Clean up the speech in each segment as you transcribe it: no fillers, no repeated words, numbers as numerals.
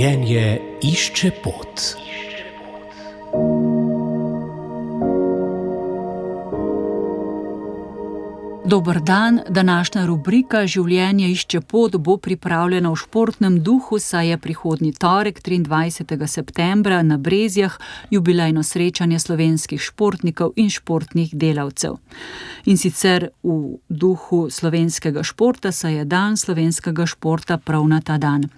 Življenje išče pot. Dober dan, današnja rubrika Življenje išče pot bo pripravljena v športnem duhu, saj je prihodnji torek, 23. septembra, na Brezjah jubilejno srečanje slovenskih športnikov in športnih delavcev. In sicer v duhu slovenskega športa, saj je dan slovenskega športa prav na ta dan.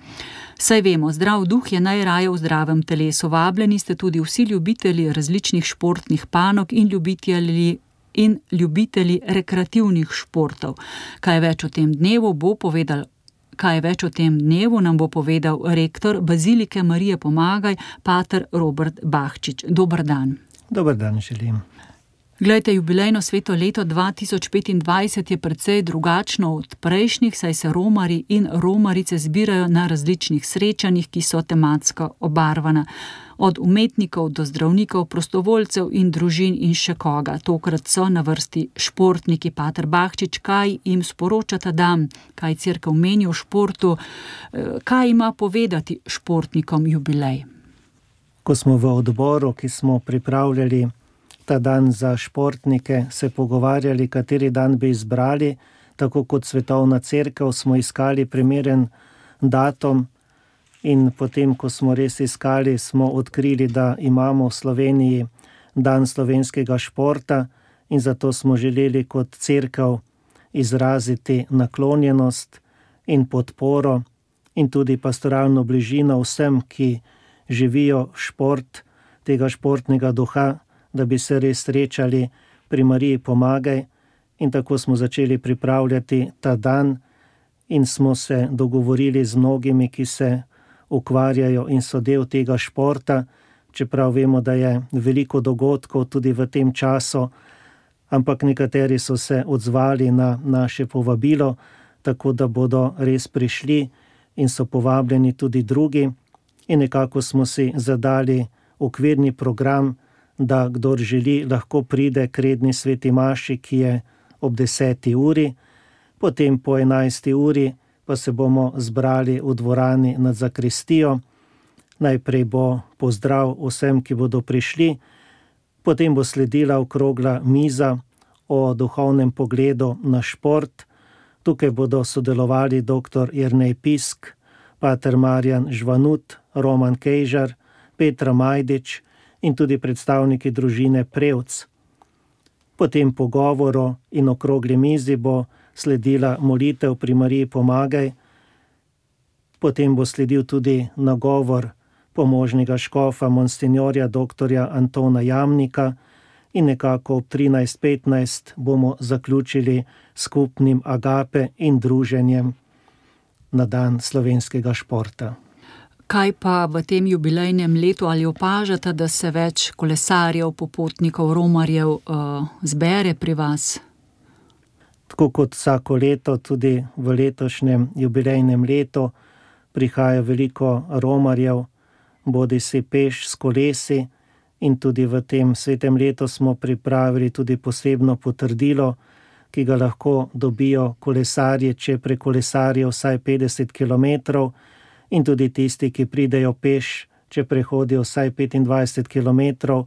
Saj vemo, zdrav duh je najraje v zdravem telesu. Vabljeni ste tudi vsi ljubitelji različnih športnih panog in ljubitelji rekreativnih športov. Kaj več o tem dnevu nam bo povedal rektor Bazilike Marije Pomagaj, pater Robert Bahčič. Dober dan. Dober dan želim. Glejte, jubilejno sveto leto 2025 je precej drugačno od prejšnjih, saj se romarji in romarice zbirajo na različnih srečanjih, ki so tematsko obarvana. Od umetnikov do zdravnikov, prostovoljcev in družin in še koga. Tokrat so na vrsti športniki. Pater Bahčič, kaj jim sporoča ta dan, kaj cerkev meni o športu, kaj ima povedati športnikom jubilej? Ko smo v odboru, ki smo pripravljali ta dan za športnike, se pogovarjali, kateri dan bi izbrali, tako kot Svetovna cerkev, smo iskali primeren datum. In potem, ko smo res iskali, smo odkrili, da imamo v Sloveniji dan slovenskega športa in zato smo želeli kot cerkev izraziti naklonjenost in podporo in tudi pastoralno bližino vsem, ki živijo šport, tega športnega duha, da bi se res srečali pri Mariji Pomagaj. In tako smo začeli pripravljati ta dan in smo se dogovorili z mnogimi, ki se ukvarjajo in so del tega športa, čeprav vemo, da je veliko dogodkov tudi v tem času, ampak nekateri so se odzvali na naše povabilo, tako da bodo res prišli in so povabljeni tudi drugi. In nekako smo si zadali okvirni program, da kdor želi, lahko pride k redni sveti maši, ki je ob 10. uri, potem po 11. uri pa se bomo zbrali v dvorani nad zakristijo. Najprej bo pozdrav vsem, ki bodo prišli, potem bo sledila okrogla miza o duhovnem pogledu na šport. Tukaj bodo sodelovali dr. Jernej Pisk, pater Marjan Žvanut, Roman Kejžar, Petra Majdič in tudi predstavniki družine Prevc. Potem po govoru in okrogli mizi bo sledila molitev pri Mariji Pomagaj, potem bo sledil tudi nagovor pomožnega škofa monsinjorja dr. Antona Jamnika in nekako ob 13:15 bomo zaključili skupnim agape in druženjem na dan slovenskega športa. Kaj pa v tem jubilejnem letu, ali opažate, da se več kolesarjev, popotnikov, romarjev zbere pri vas? Tako kot vsako leto, tudi v letošnjem jubilejnem letu prihaja veliko romarjev, bodisi peš s kolesi, in tudi v tem svetem letu smo pripravili tudi posebno potrdilo, ki ga lahko dobijo kolesarji, če prekolesarijo vsaj 50 kilometrov, in tudi tisti, ki pridejo peš, če prehodijo vsaj 25 kilometrov,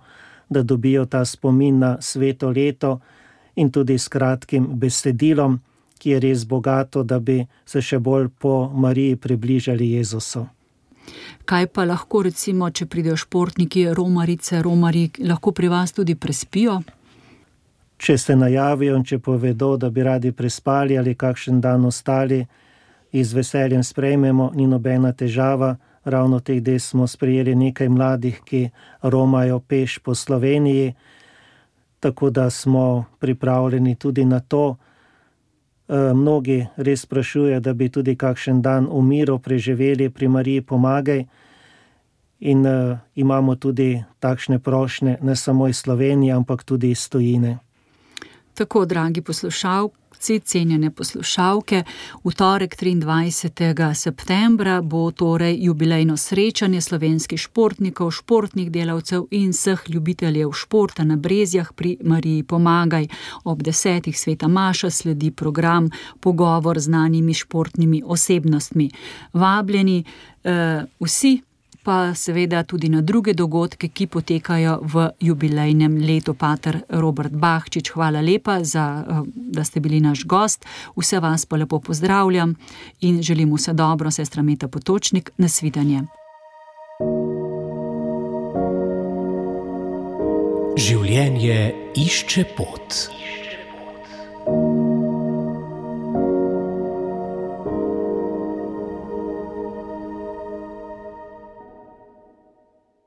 da dobijo ta spomin na sveto leto in tudi s kratkim besedilom, ki je res bogato, da bi se še bolj po Mariji približali Jezusu. Kaj pa lahko recimo, če pridejo športniki, romarji, lahko pri vas tudi prespijo? Če se najavijo in če povedo, da bi radi prespali ali kakšen dan ostali, z veseljem sprejmemo, ni nobena težava. Ravno teh dni smo sprejeli nekaj mladih, ki romajo peš po Sloveniji, tako da smo pripravljeni tudi na to. Mnogi res sprašujejo, da bi tudi kakšen dan v miru preživeli pri Mariji Pomagaj in imamo tudi takšne prošnje ne samo iz Slovenije, ampak tudi iz tujine. Tako, dragi poslušalci, cenjene poslušalke, v torek 23. septembra bo torej jubilejno srečanje slovenskih športnikov, športnih delavcev in vseh ljubiteljev športa na Brezjah pri Mariji Pomagaj. Ob 10. sveta maša sledi program Pogovor z znanimi športnimi osebnostmi. Vabljeni vsi pa seveda tudi na druge dogodke, ki potekajo v jubilejnem letu. Pater Robert Bahčič, hvala lepa, da ste bili naš gost. Vse vas pa lepo pozdravljam in želim vse dobro, sestra Meta Potočnik, nasvidenje. Življenje išče pot.